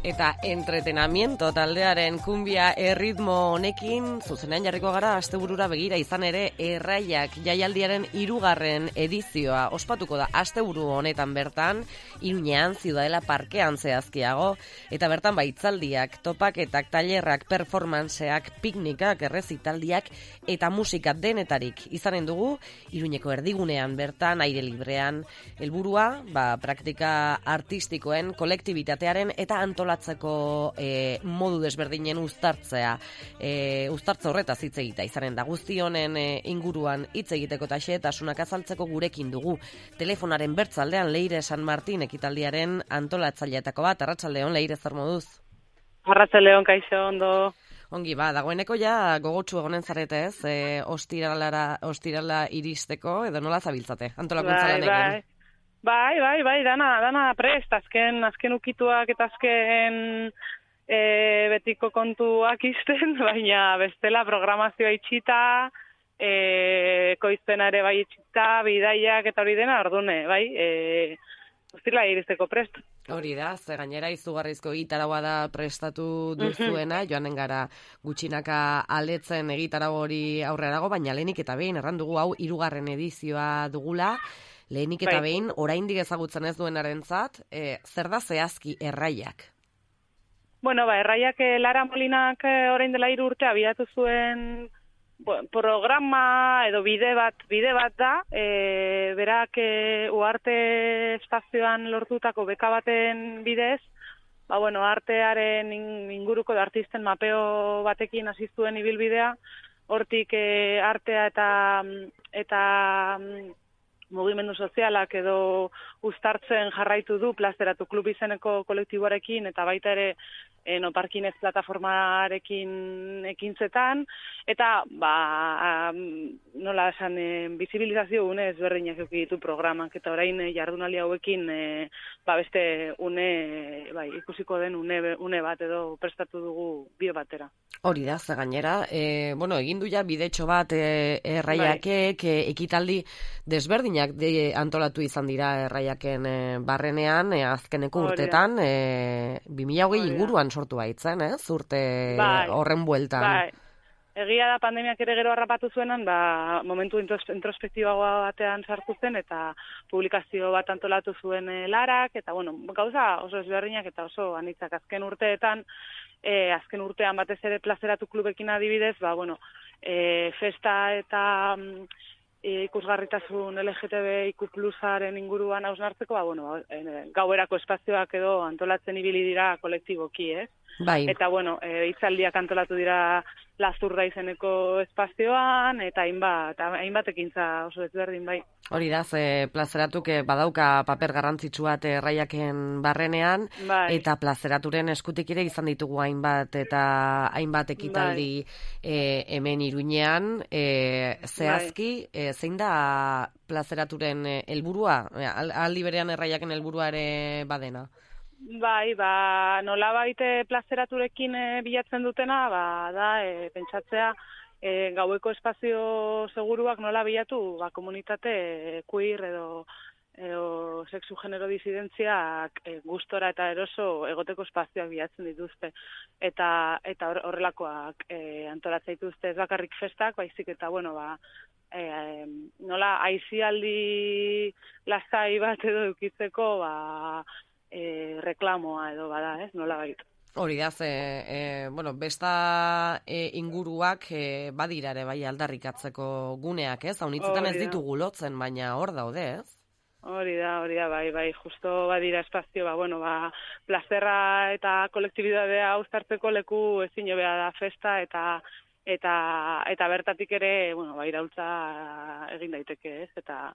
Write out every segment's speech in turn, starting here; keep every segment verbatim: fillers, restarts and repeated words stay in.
Eta entretenamiento taldearen kumbia erritmo honekin zuzenean jarriko gara asteburura begira, izan ere Erraiak jaialdiaren hirugarren edizioa ospatuko da asteburu honetan bertan, Iruñean, Ziudadela parkean zehazkiago, eta bertan baitzaldiak, topaketak, tailerrak, performanceak, piknikak, errezitaldiak eta musika denetarik izanen dugu Iruñeko erdigunean bertan, aire librean, helburua, ba, praktika artistikoen, kolektibitatearen eta antolatzeko e, modu desberdinen uztartzea, e, uztartze horretaz hitz egita izanen da. Guzti honen e, inguruan hitz egiteko eta xehetasunak azaltzeko gurekin dugu. Telefonaren bertzaldean Leire San Martin ekitaldiaren antolatzaileetako bat. Arratsaldeon, Leire, zer moduz? Arratsaldeon, kaixo, ondo. Ongi, ba, dagoeneko ja gogotsu egonen zarete, ez? E, ostiralara, ostirala iristeko, edo nola zabiltzate, antolakuntza lanekin? Bai, bai, bai, bai, dana, dana prest, azken, azken ukituak eta azken e, betiko kontuak izten, baina bestela programazioa itxita, e, koizpena ere bai itxita, bidaiak eta hori dena, ordune, bai, e, ostirala iristeko prest. Hori da, ze gainera izugarrizko egitaragoa da prestatu duzuena, joanen gara gutxinaka aletzen egitarago hori aurrerago, baina lehenik eta behin erran dugu hau hirugarren edizioa dugula, lehenik eta behin oraindik ezagutzen ez duenarentzat, e, zer da zehazki Erraiak? Bueno, ba, Erraiak e, Lara Molinak e, orain dela hiru urte abiatu zuen bueno, programa edo bide bat, bide bat da, e, berak e, Uarte espazioan lortutako beka baten bidez, ba, bueno, artearen inguruko da artisten mapeo batekin hasi zuen ibilbidea, hortik e, artea eta eta mugimendu sozialak edo uztartzen jarraitu du Plazeratu klub izeneko kolektiboarekin eta baita ere no parkinez plataformarekin ekintzetan, eta ba, nola esan, e, bizibilizazio une ezberdinak eduki ditu programak, eta orain e, jardunaldi hauekin e, ba, beste une, bai, ikusiko den une, une bat edo prestatu dugu bio batera. Hori da, ze gainera, e, bueno, egin du ja bidetxo bat e, Erraiakek, e, ekitaldi desberdinak de, antolatu izan dira Erraiaken e, barrenean, e, azkeneko urtetan, e, bi mila hogei inguruan sortu baitzen, ez? Urte bai, horren bueltan. Bai. Egia da pandemiak ere gero harrapatu zuenan, ba, momentu introspektibagoa batean sartu zen, eta publikazio bat antolatu zuen e, Larak, eta bueno, gauza oso ezberdinak eta oso anitzak azken urteetan, e, azken urtean batez ere Plazeratu klubekin adibidez, ba, bueno, e, festa eta e, ikusgarritasun L G T B I Q plusaren inguruan hausnartzeko, ba, bueno, e, gauerako espazioak edo antolatzen ibili dira kolektiboki, ez? Bai. Eta, bueno, e, hitzaldiak antolatu dira Lazurda izeneko espazioan, eta hainbat, hainbat ekintza oso ezberdin, bai. Hori da, ze Plazeratuk badauka paper garrantzitsu bat Erraiaken barrenean, bai. Eta Plazeraturen eskutik ere izan ditugu hainbat eta hainbat ekitaldi bai. e, hemen Iruñean, e, zehazki, bai. e, zein da Plazeraturen helburua, aldi berean Erraiaken helburua ere badena? Bai, ba, nola baite Plazeraturekin e, bilatzen dutena, ba, da, e, pentsatzea, e, gaueko espazio seguruak nola bilatu, ba, komunitate e, queer edo, edo sexu genero disidentziak e, gustora eta eroso egoteko espazioak bilatzen dituzte. Eta, eta horrelakoak e, antolatzen dituzte ez bakarrik festak, baizik eta, bueno, ba, e, nola aizialdi lasai bat edo edukitzeko, ba, E, reklamoa edo bada, ez, nola baitu. Hori da, ze, e, bueno, besta e, inguruak e, badira ere bai aldarrikatzeko guneak, ez? Haunitzetan ez ditugu lotzen, baina hor daude, ez? Hori da, hori da, bai, bai, justo badira espazio, ba, bueno, ba, plazerra eta kolektibidadea uztartzeko leku ezin hobea da festa, eta eta eta bertatik ere, bueno, ba, iraultza egin daiteke, ez? Eta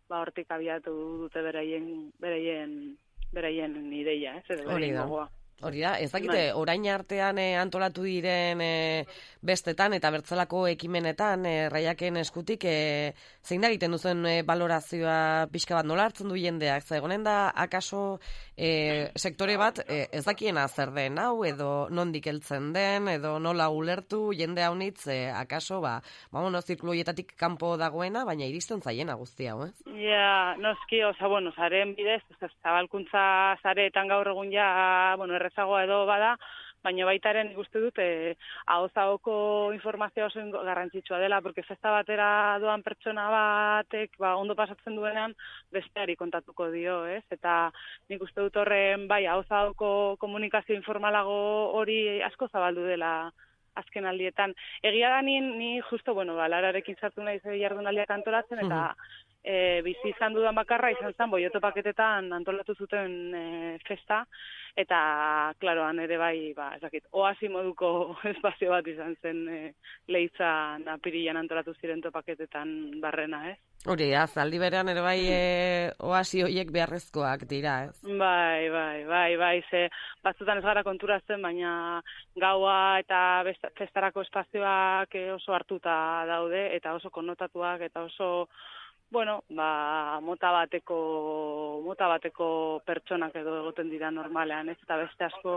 ba hortik abiatu dute beraien beraien beraien ideia, ez, edo beraien gogoa. Hori da, ez dakite, orain artean eh, antolatu diren eh, bestetan eta bertzelako ekimenetan eh, Raiaken eskutik eh, zein da egiten duzen eh, balorazioa pixka bat nola hartzen du jendeak, zagonen da akaso eh, sektore bat eh, ez dakiena zer den hau edo nondik heltzen den edo nola ulertu jende haunitz eh, akaso ba, bamono zirkulu horietatik kanpo dagoena, baina iristen zaiena guzti hau, ez? Ja, noski, oza, bueno, zaren bidez, zabalkuntza zareetan gaur egun ja, bueno, errezagoa edo bada, baina baitaren ikuste dut eh, ahoz-ahoko informazioa oso garrantzitsua dela, porque festa batera doan pertsona batek ba, ondo pasatzen duenean besteari kontatuko dio, ez? Eta nik uste dut horren bai ahoz-ahoko komunikazio informalago hori asko zabaldu dela azken aldietan. Egia da ni, ni justo, bueno, ba, Lararekin sartu nahi ze jardunaldiak antolatzen, eta e, bizi izan dudan bakarra izan zen boioto paketetan antolatu zuten e, festa, eta, klaroan ere bai, ba, ezakit, oasi moduko espazio bat izan zen e, Leitzan apirilan antolatu ziren topaketetan barrena, ez? Hori, zaldi berean ere bai e, oasi horiek beharrezkoak dira, ez? Bai, bai, bai, bai, ze batzutan ez gara konturatzen, baina gaua eta best, festarako espazioak oso hartuta daude, eta oso konnotatuak, eta oso, bueno, ba, mota bateko, mota bateko pertsonak edo egoten dira normalean, ez? Eta beste asko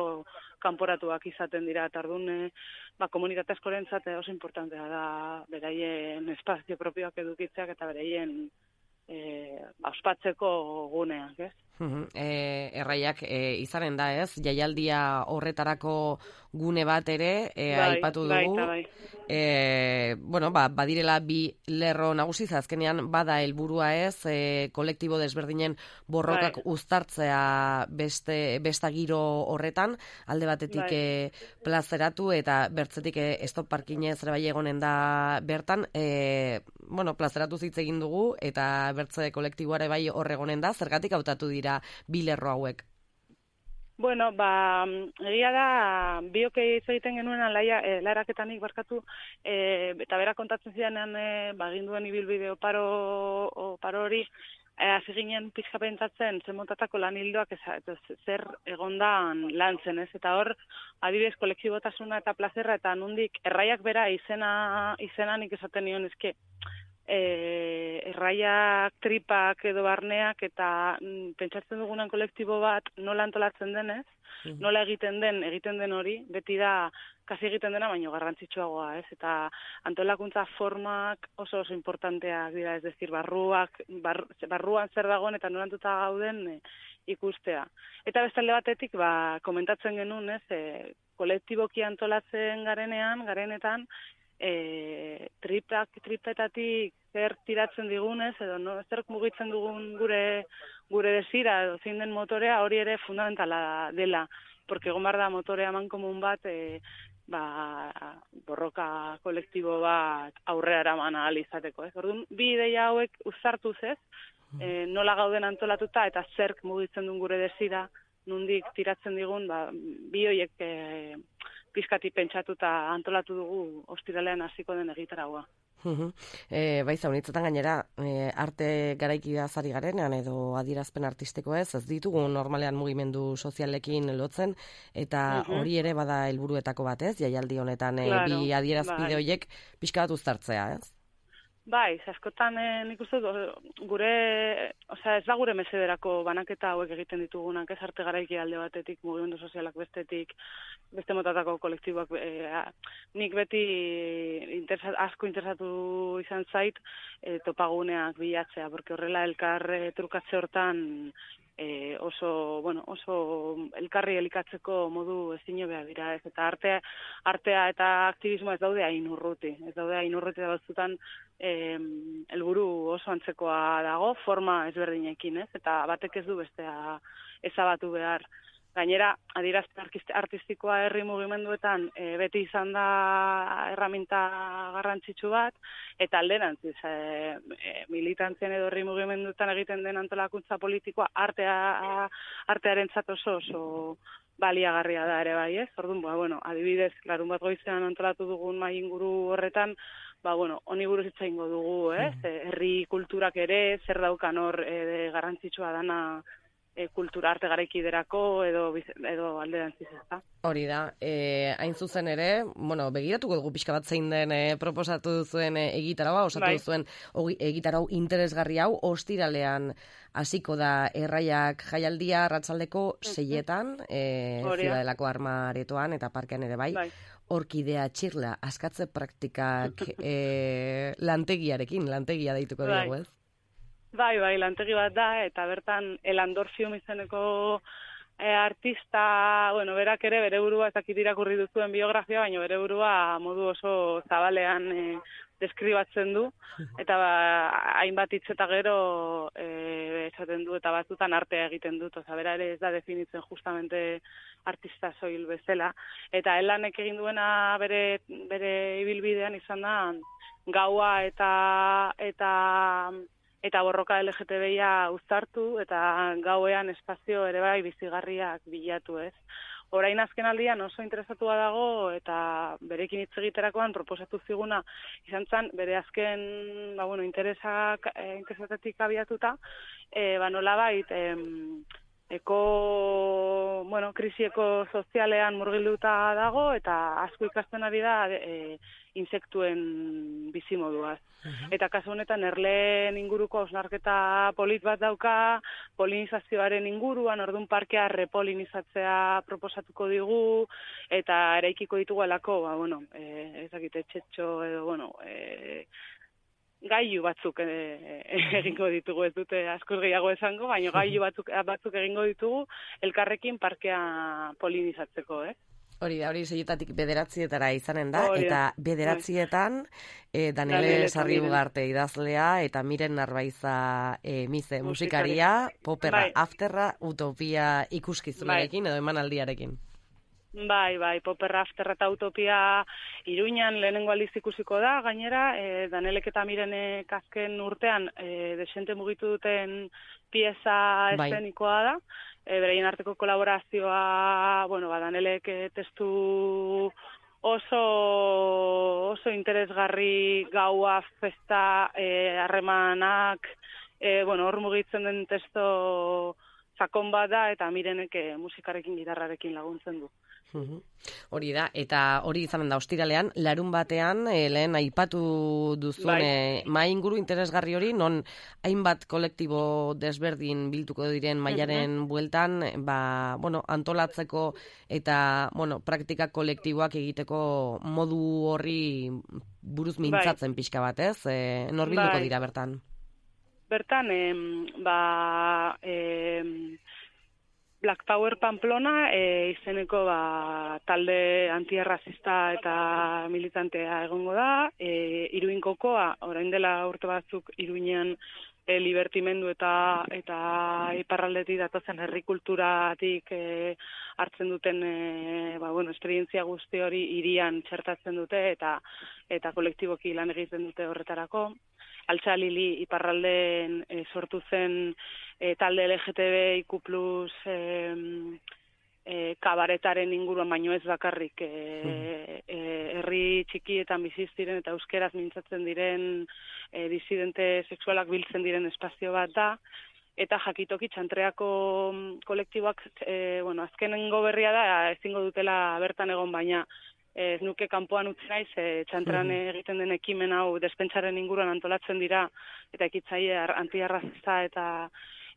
kanporatuak izaten dira, eta orduan, ba, komunitate askorentzat oso importantea da beraien espazio propioak edukitzeak eta beraien e, ospatzeko guneak, ez? E, erraiak e, izanen da, ez? Jaialdia horretarako gune bat ere e, bai, aipatu dugu. Bai, bai. E, bueno, ba, badirela bi lerro nagusi, azkenean bada helburua ez, e, kolektibo desberdinen borrokak bai. uztartzea beste, besta giro horretan, alde batetik bai. e, plazeratu eta bertzetik e, stop parkinez ere bai egonen da bertan, e, bueno, plazeratu hitz egin dugu eta bertze kolektiboare bai horregonen da, zergatik hautatu dira bi lerro hauek? Bueno, ba, egia da, biok hitz egiten genuen laia, e, laraketanik barkatu, e, eta bera kontatzen zidanean, e, ba, ginduen ibilbide oparo, oparo hori, e, hasi ginen pixka pentsatzen, zen montatako lan hildoak, ez, zer egondan lan zen, ez? Eta hor, adibidez, kolektibotasuna eta plazerra, eta nondik, erraiak bera izena, izena nik esaten nion, ezke, E, erraiak, tripak edo barneak eta mm, pentsatzen dugunan kolektibo bat nola antolatzen denez, mm. nola egiten den, egiten den hori, beti da kasi egiten dena, baino garrantzitsuagoa, ez? Eta antolakuntza formak oso oso importanteak dira, ez decir, barruak, bar, barruan zer dagoen eta nolantuta gauden e, ikustea. Eta bestalde batetik, ba, komentatzen genuen, ez, e, kolektiboki antolatzen garenean, garenetan, E, tripak, tripetatik zer tiratzen digunez, edo no, zer mugitzen dugun gure gure desira, edo zein den motorea, hori ere fundamentala dela, porque egon behar da motorea mankomun bat, e, ba, borroka kolektibo bat aurrera eraman ahal izateko, ez? Orduan, bi ideia hauek uzartuz ez, e, nola gauden antolatuta eta zerk mugitzen duen gure desira, nondik tiratzen digun, ba, bi horiek e, pizkati pentsatuta antolatu dugu ostiralean hasiko den egitaragoa. e, bai, zaunitzetan gainera, e, arte garaikida zari garenean edo adierazpen artistiko ez, ez ditugu normalean mugimendu sozialekin lotzen, eta uh-huh. hori ere bada helburuetako bat ez, jaialdi honetan e, claro, bi adierazpide bai. horiek pixka bat uztartzea ez? Bai, askotan e, nik uste gure, osea, ez da gure mesederako banaketa hauek egiten ditugunak, ez arte garaiki alde batetik, mugimendu sozialak bestetik, beste motatako kolektiboak, e, nik beti interesa, asko interesatu izan zait e, topaguneak bilatzea, porque horrela elkar e, trukatze hortan e, oso, bueno, oso elkarri elikatzeko modu ezinobea dira, ez, eta artea, artea eta aktivismoa ez daude hain urruti, ez daude hain urruti da batzutan helburu oso antzekoa dago, forma ezberdinekin, ez, eta batek ez du bestea ezabatu behar. Gainera, adierazpen artistikoa herri mugimenduetan e, beti izan da erraminta garrantzitsu bat, eta alderantziz, e, e, militantzien edo herri mugimenduetan egiten den antolakuntza politikoa artea, artearentzat oso oso baliagarria da ere bai, ez? Orduan, ba, bueno, adibidez, larun bat goizean antolatu dugun mai inguru horretan, ba, bueno, honi buruz hitz egingo dugu, ez? Herri kulturak ere, zer daukan hor e, garrantzitsua dana e, kultura arte garaikiderako edo, edo alderantziz, ezta? Hori da, e, hain zuzen ere, bueno, begiratuko dugu pixka bat zein den e, proposatu duzuen e, egitarau, osatu bai. duzuen egitarau interesgarri hau, ostiralean hasiko da Erraiak jaialdia arratsaldeko seietan, e, Ziudadelako Armaretoan eta parkean ere bai, bai. Orkidea txirla, askatze praktikak e, lantegiarekin, lantegia deituko bai. dugu, ez? Bai, bai, lantegi bat da, eta bertan Elandorfium izeneko e, artista, bueno, berak ere bere burua, ez dakit irakurri duzuen biografia, baina bere burua modu oso zabalean e, deskribatzen du, eta ba, hainbat hitz eta gero e, esaten du, eta batzutan artea egiten dut, oza, bera ere ez da definitzen justamente artista soil bezala, eta Elanek egin duena bere, bere ibilbidean izan da, gaua eta eta eta borroka L G T B-a uztartu, eta gauean espazio ere bai bizigarriak bilatu, ez? Orain azken aldian oso interesatua dago, eta berekin hitz egiterakoan proposatu ziguna izan zen, bere azken, ba, bueno, interesak, eh, interesatetik abiatuta, eh, ba, nolabait, eh, eko, bueno, krisieko sozialean murgilduta dago, eta asko ikasten ari da e, insektuen bizimoduaz. Uh-huh. Eta kasu honetan erleen inguruko osnarketa polit bat dauka, polinizazioaren inguruan, orduan parkea repolinizatzea proposatuko digu, eta eraikiko ditugu alako, ba, bueno, e, ez dakite txetxo edo, bueno, e, gailu batzuk e, egingo ditugu, ez dute askoz gehiago esango, baina gailu batzuk, batzuk egingo ditugu elkarrekin parkea polinizatzeko, eh? Hori da, hori seietatik bederatzietara izanen da, hori, eta bederatzietan e, Daniele Sarriugarte idazlea eta Miren Narbaiza e, Mize musikaria, Poperra, bai. Afterra, Utopia ikuskizunarekin bai. edo emanaldiarekin. Bai, bai, Poperra, Afterra eta Utopia Iruñan lehenengo aldiz ikusiko da, gainera, e, Danielek eta Mirenek azken urtean e, desente mugitu duten pieza eszenikoa da, e, bereien arteko kolaborazioa, bueno, ba, Danielek e, testu oso oso interesgarri, gaua, festa, harremanak, e, bueno, hor mugitzen den testo sakon bat da, eta Mirenek e, musikarekin, gitarrarekin laguntzen du. Uhum. Hori da, eta hori izanen da ostiralean, larun batean, e, lehen aipatu duzun bai. e, mai inguru interesgarri hori, non hainbat kolektibo desberdin biltuko diren mailaren uhum. bueltan, ba, bueno, antolatzeko eta, bueno, praktika kolektiboak egiteko modu horri buruz mintzatzen bai. pixka bat, ez? E, nor bilduko bai. dira bertan? Bertan, em, ba... Em, Black Power Pamplona e, izeneko ba, talde antiarrazista eta militantea egongo da. E, Iruin kokoa, orain dela urte batzuk Iruinean e, libertimendu eta eta iparraldetik datozen herri kulturatik e, hartzen duten e, ba, bueno, esperientzia guzti hori hirian txertatzen dute eta eta kolektiboki lan egiten dute horretarako. Altza Lili iparralden e, sortu zen e, talde L G T B I Q plus e, e, kabaretaren inguruan, baino ez bakarrik e, e, herri txikietan biziz diren eta euskeraz mintzatzen diren e, disidente sexualak biltzen diren espazio bat da, eta jakitoki txantreako kolektiboak, e, bueno, azkenengo berria da, ezingo dutela bertan egon, baina ez nuke kanpoan utzi naiz, e, txantran egiten den ekimen hau despentsaren inguruan antolatzen dira, eta ekitzaile antiarrazista eta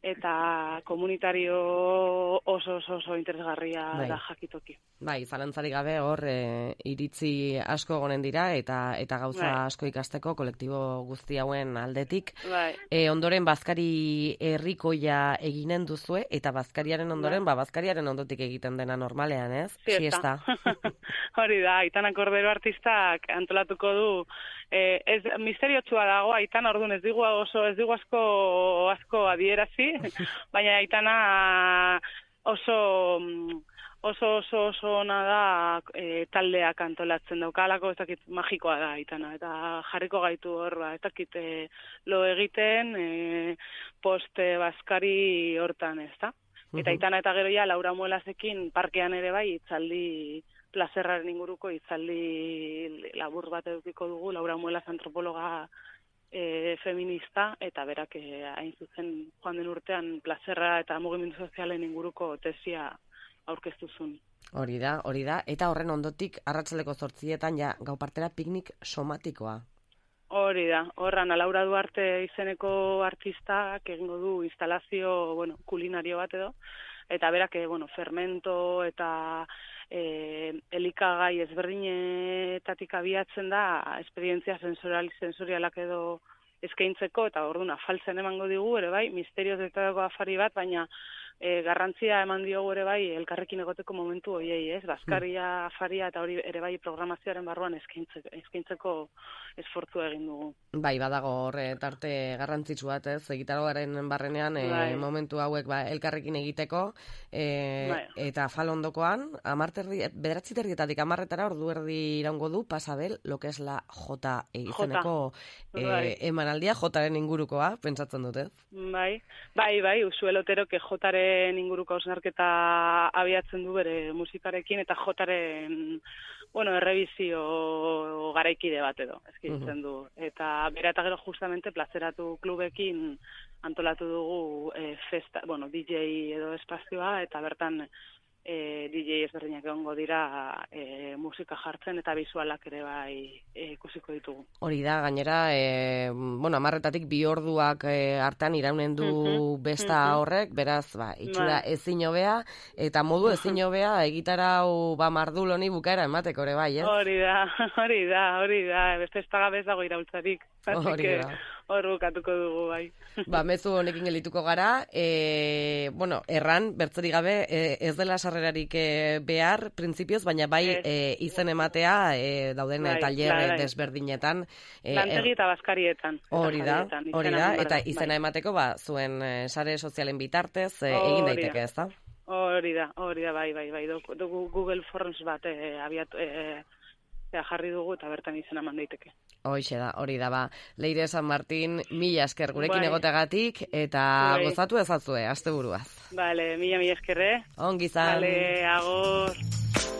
eta komunitario oso oso, oso interesgarria bai. da jakitoki. Bai, zalantzarik gabe hor e, iritzi asko egonen dira eta eta gauza bai. asko ikasteko kolektibo guzti hauen aldetik. Bai. E, ondoren bazkari herrikoia eginen duzue eta bazkariaren ondoren, bai. ba bazkariaren ondotik egiten dena normalean, ez? Siesta. Hori da, Aitana Kordero artistak antolatuko du. Eh, ez misteriotsua dago, Aitana orduan ez digu oso ez digu asko asko adierazi, baina Aitana oso oso oso oso ona da e, taldeak antolatzen daukalako, ez dakit magikoa da Aitana, eta jarriko gaitu hor, ba, ez dakit e, lo egiten e, poste bazkari hortan, ez da? Eta Aitana eta gero ja Laura Muelasekin parkean ere bai itzaldi plazerraren inguruko hitzaldi labur bat edukiko dugu, Laura Muelas antropologa e, feminista, eta berak e, hain zuzen joan den urtean plazerra eta mugimendu sozialen inguruko tesia aurkeztuzun. Hori da, hori da, eta horren ondotik arratsaldeko zortzietan ja gau partera piknik somatikoa. Hori da, horran Laura Duarte izeneko artistak egingo du instalazio, bueno, kulinario bat edo, eta berak, bueno, fermento eta e, elikagai ezberdinetatik abiatzen da esperientzia sensorial, sensorialak edo eskaintzeko, eta orduan afaltzen emango digu, ere bai, misterioz eta afari bat, baina e, garrantzia eman diogu ere bai elkarrekin egoteko momentu hoiei, ez? Baskaria, afaria eta hori ere bai programazioaren barruan eskaintzeko, eskaintzeko esfortzu egin dugu. Bai, badago horre tarte garrantzitsu bat, ez? Egitaroaren barrenean e, bai. momentu hauek ba, elkarrekin egiteko, e, bai. eta falondokoan, amarterri, bederatzi terrietatik amarretara ordu erdi iraungo du Pasabel, lo que es la J izeneko e, bai. emanaldia, Jaren ingurukoa, pentsatzen dut, ez? Bai, bai, bai, Usuel Oterok Jaren inguruko hausnarketa abiatzen du bere musikarekin, eta Jaren, bueno, errebizio garaikide bat edo, eskaintzen du. Eta bera eta gero justamente plazeratu klubekin antolatu dugu e, festa, bueno, D J edo espazioa, eta bertan e, D J ezberdinak egongo dira e, musika jartzen eta bisualak ere bai e, ikusiko ditugu. Hori da, gainera, e, bueno, amarretatik bi orduak e, hartan iraunen du uh-huh, besta uh-huh. horrek, beraz, ba, itxura ba. ezin hobea, eta modu ezin hobea egitarau ba mardul honi bukaera emateko ere bai, ez? Hori da, hori da, hori da, beste ez tagabez dago iraultzarik. Hori da. Hor bukatuko dugu, bai. Ba, mezu honekin gelituko gara, e, bueno, erran, bertzerik gabe, e, ez dela sarrerarik e, behar, printzipioz, baina bai e, izen ematea e, dauden bai, tailer desberdinetan. E, Lantegi eta bazkarietan. Hori da, hori da, eta izena bai. emateko, ba, zuen e, sare sozialen bitartez e, egin daiteke, ez da? Hori da, hori da, bai, bai, bai, dugu Google Forms bat e, abiatu... E, jarri dugu eta bertan izena eman daiteke. Hoixe da, hori da, ba. Leire San Martin, mila esker gurekin bai. egotegatik, eta bai. gozatu ezazue, asteburuaz. Bale, mila, mila eskerre. Ongi zan. Bale, agur.